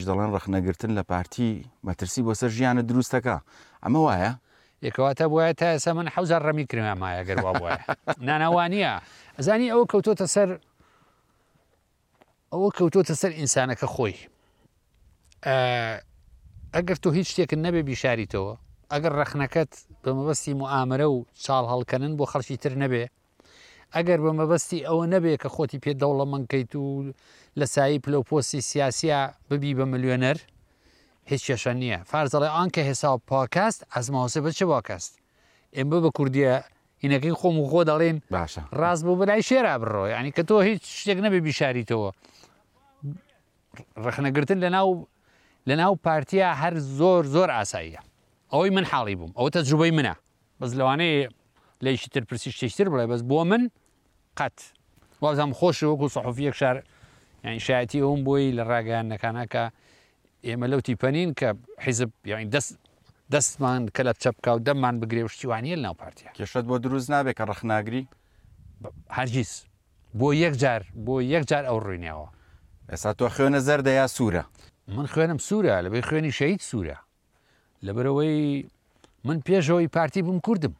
دەڵێن ڕەخنەگرتن لە پارتی مەترسی بۆ سەر ژیانت دروست دەکا، ئەمە وایە؟ ئێ کەواتە بوایە تا ئێستا من حەوزار ڕەمی کرمامایە گەر وا بوایە. نانا وا نییە. ئەزانی ئەوە کەوتۆتە سەر ئەوە کەوتۆتە سەر ئینسانەکە خۆی. ئەگەر تۆ هیچ شتێکت نەبێ بیشاریتەوە، ئەگەر ڕەخنەکەت بە مەبەستی موئامەرە و چاڵ هەڵکەنن بۆ خەڵکی تر نەبێ، ئەگەر بە مەبەستی ئەوە نەبێ کە خۆتی پێ دەوڵەمەند کەیت و لە سایەی پلە و پۆستی سیاسیا ببی بە ملیۆنەر، هیچ کێشە نییە. فارس دەڵێ آن که حساب پاک است از محاسبه چه باک است. ئێمە بە کوردیە هینەکەی خۆم و خۆ دەڵێن باشە ڕاست بۆ بەلای شێرا بڕۆ یعنی کە تۆ هیچ شتێک نەبێ بیشاریتەوە ڕەخنەگرتن لەناو لەناو پارتیا هەر زۆر زۆر ئاساییە ئەوەی من حاڵی بووم ئەوە تەجروبەی منە بەس لەوانەیە لەیشی تر پرسی شتێکی تر بڵێ بەس بۆ من قەت وابزانم خۆشی وەکو سەحوفیەک شار یعنی شایەتی ئەوم بۆی لە ڕاگەیاندنەکانە کە ئێمە لەو تیپە نین کە حیزب یعنی دەست دەستمان کەلەپچە بکا و دەممان بگرێ و شتی وانیە لەناو پارتیا. کێشەت بۆ دروست نابێ کە ڕەخناگری؟ هەرگیز بۆ یەک جار بۆ یەک جار ئەو ڕووینەوە. ئێستا تۆ خوێنە زەردە یا سوورە؟ من خوێنم سوورە لەبەی خوێنی شەهید سوورە لەبەرئەوەی من پێش ئەوەی پارتی بووم کوردم.